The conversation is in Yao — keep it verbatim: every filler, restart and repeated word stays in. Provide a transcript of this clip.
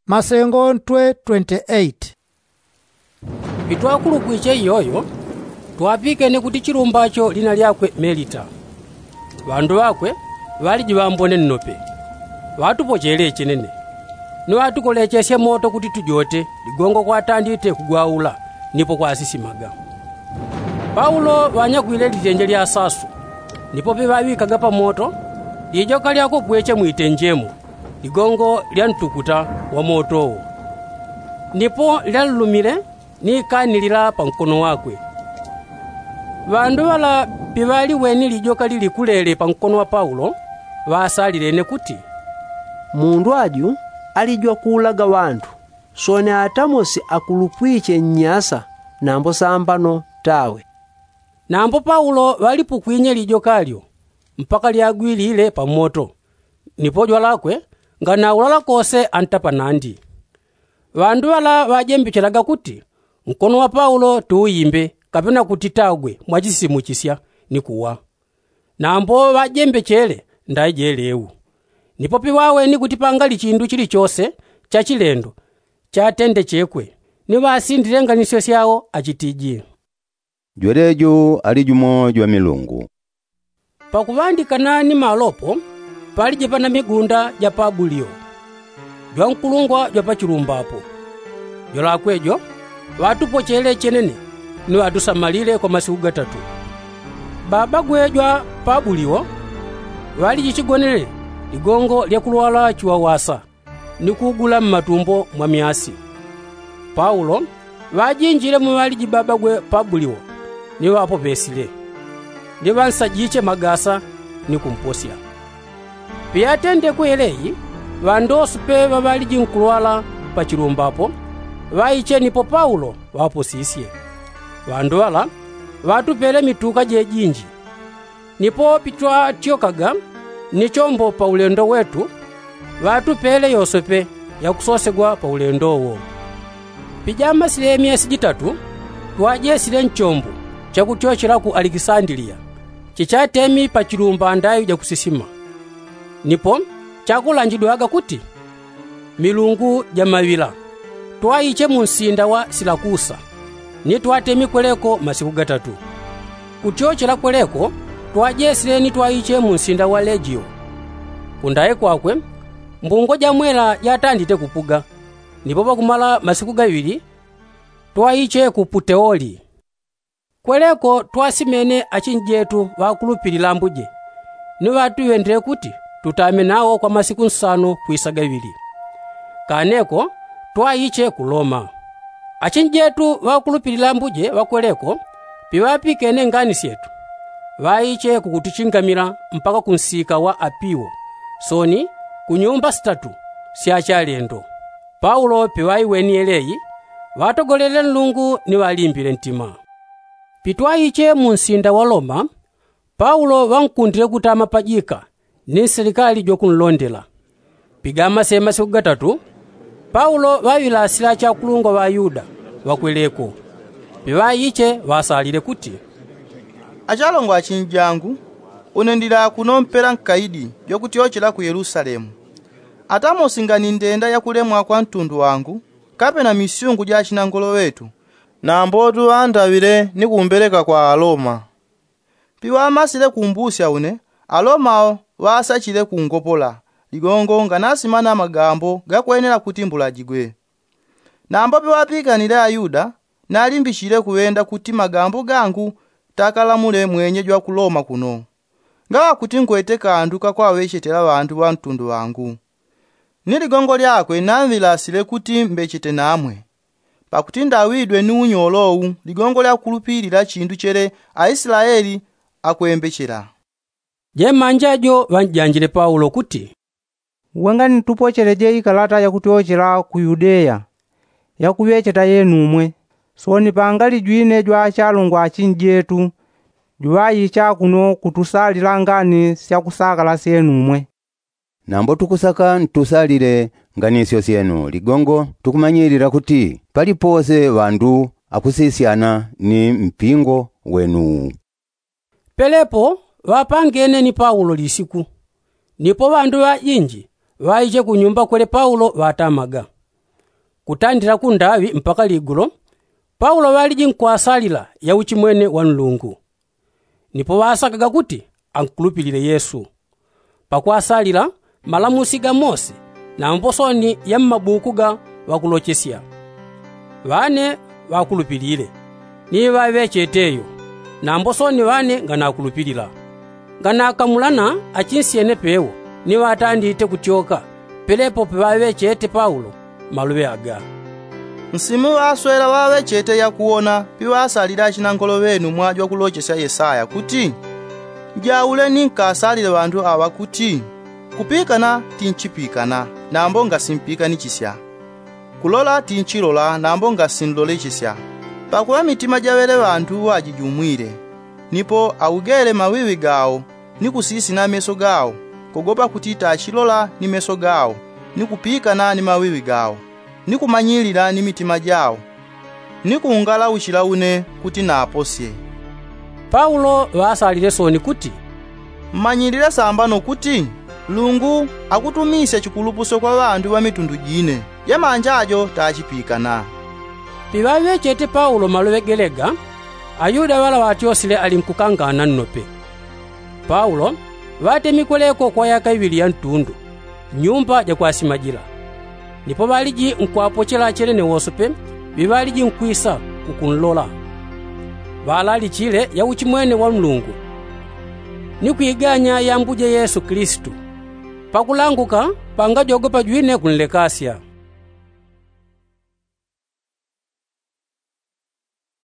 Masengo ntwe twenty-eight. Pitwakulupwiche iyoyo, twapikene kuti chilumbacho lina lyakwe melita. Ŵandu ŵakwe ŵaliji ŵambone nnope, ŵatupochele chenene, ni ŵatukolechesye moto kuti tujote ligongo kwatandite kugwaula nipo kwasisimaga. Paulo ŵanyakwile litenje lya sasu, nipo piŵaŵikaga pamoto lijoka lyakupweche mwitenjemo ligongo lya ntukuta wa moto wo, nipo lyanlumile ni ikanilila pa nkono wakwe. Ŵandu ŵala piŵaliweni lijoka lilikulele pa nkono wa paulo, ŵasalilene kuti, mundu aju ali jwakuulaga ŵandu, soni atamosi akulupwiche nnyasa nambo sambano tawe. Nambo paulo ŵalipukwinye lijoka lyo mpaka lyagwilile pa moto, nipo jwalakwe nganaulala kose anta panandi. Ŵandu ŵala ŵajembechelaga kuti nkono wa paulo tuuyimbe kapena kuti tagwe mwachisisimuchisya ni kuwa. Nambo ŵajembechele ndai jeleu. Nipo piŵaweni kuti pangali chindu chilichose cha chilendo chatendechekwe, ni ŵasindile nganisyo syao achitiji, jweleju ali jumo jwa milungu. Pakuŵandikana ni malopo paliji pana migunda ja pabulio, jwankulungwa jwa pachilumba apo. Jwalakwe jo ŵatupochele chenene ni ŵatusamalile kwa masiku gatatu. Babagwe jwa pabulio ŵaliji chigonele ligongo lya kulwala chiwawasa ni kugula mmatumbo mwa myasi. Paulo ŵajinjile muŵaliji babagwe pabulio ni ŵapopesile, ni ŵansajiche magasa ni kumposya. Piyatendekwe yeleyi, ŵandosu pe ŵaŵaliji nkulwala pachilumba apo ŵaiche nipo paulo ŵaposisye. Ŵandu ŵala ŵatupele mituka jejinji. Nipo pitwatyokaga ni chombo pa ulendo wetu, ŵatupele yosepe yakusosegwa pa ulendo wo. Pijamasile myesi jitatu twajesile nchombo chakutyochela ku alekisandiliya, chichatemi pachilumba ndayu jakusisima. Nipo chakulanjidwaga kuti milungu ja maŵila, twaiche mu nsinda wa silakusa, ni twatemi kweleko masiku gatatu. Kutyochela kweleko twajesile ni twaiche mu nsinda wa legio. Kundaye kwakwe mbungo ja mwela jatandite kupuga. Nipo pakumala masiku gaŵili twaiche ku puteoli. Kweleko twasimene achinjetu ŵakulupilila ambuje, ni ŵatuŵendele kuti tutame nawo kwa masiku nsano kwisa gaŵili. Kaneko twaiche ku loma. Achinjetu ŵakulupilila ambuje ŵakweleko piŵapikene ngani syetu, ŵaiche kukutuchingamila mpaka ku nsika wa apiwo, soni ku nyumba sitatu sya chalendo. Paulo piŵaiweni yeleyi, ŵatogolele nlungu ni ŵalimbile ntima. Pitwaiche mu nsinda wa loma, paulo ŵankundile kutama pajika ni nsilikali jwakunlondela. Pigamase masiku gatatu paulo ŵaŵilasila achakulungwa ŵa ayuda ŵakweleko. Piŵaiche ŵasalile kuti, achalongwa achinjangu, une ndili akuno mpela nkaidi jwakutyochela ku yelusalemu. Atamosi ngani ndenda yakulemwa kwa ntundu wangu kapena misyungu ja achinangolo ŵetu, nambotu ŵandaŵile ni kumbeleka kwa aloma. Piŵamasile kumbusya une, aloma awo ŵasachile kungopola ligongo nganasimana magambo gakwenela kuti mbulajigwe. Nambo piŵapikanile ayuda, nalimbichile kuŵenda kuti magambo gangu takalamule mwenye jwa ku loma kuno, ngaŵa kuti ngwete kandu kakwaŵechetela ŵandu ŵa ntundu wangu. Ni ligongo lyakwe namŵilasile kuti mbechete namwe, pakuti ndawidwe ni unyolo wu ligongo lya kulupilila chindu chele aislaeli akwembechela. Jemanja jo ŵanjanjile paulo kuti, uwe ngani tupocheleje ikalata yakutyochela ku yudeya yakuŵecheta yenumwe. Soni pangali jwine jwa achalongwa achinjetu juŵaicha kuno kutusalila ngani syakusakala syenumwe. Nambo tukusaka ntusalile nganisyo syenu ligongo tukumanyilila kuti palipose ŵandu akusisyana ni mpingo wenuwu. Pelepo ŵapangene ni paulo lisiku, nipo ŵandu ŵajinji ŵaiche kunyumba kwele paulo ŵatamaga. Kutandila kundaŵi mpaka ligulo, paulo ŵaliji nkwasalila yauchimwene wa nlungu. Nipo ŵasakaga kuti ankulupilile yesu. Pakwasalila malamusi ga mose nambo soni ya mmabuku ga ŵakulochesya. Ŵane ŵakulupilile ni ŵaŵechete yo. Nambo soni ŵane nganakulupilila nganakamulana achinsyene pewo ni ŵatandite kutyoka. Pelepo piŵaŵechete paulo maluŵe aga. Nsimu ŵaswela ŵaŵechete yakuwona piŵasalile achinankolo ŵenu mwaji wakulochesya yesaya kuti, jaule ni nkasalile ŵantu aŵa kuti, kupikana tinchipikana nambo ngasipikanichisya. Kulola tinchilola nambo ngasinlolechesya. Pakuŵa mitima jaŵele ŵantu ŵajijumwile. Nipo augele maŵiŵi gawo ni kusisina meso gawo, kogopa kuti tachilola ni meso gawo ni kupikana ni maŵiŵi gawo ni kumanyilila ni mitima jawo ni kungalauchila une kuti naposye. Paulo ŵaasalile soni kuti, mmanyilile sambano kuti nlungu akutumisya chikulupuso kwa ŵandu ŵa mitundu jine. Jamanja jo tachipikana. Piŵaŵechete paulo maloŵe gelega, ayuda ŵala ŵatyosile ali nkukangana nnope. Paulo ŵatemikweleko kwa yaka iŵili ya ntundu, nyumba ja kwasimajila. Nipo ŵaliji nkwapochela chelene wosope ŵiŵaliji nkwisa kukunlola. Ŵalalichile yauchimwene wa nlungu ni kwiganya yambuje yesu kilisitu. Pakulanguka pangajogopa jwine kunlekasya.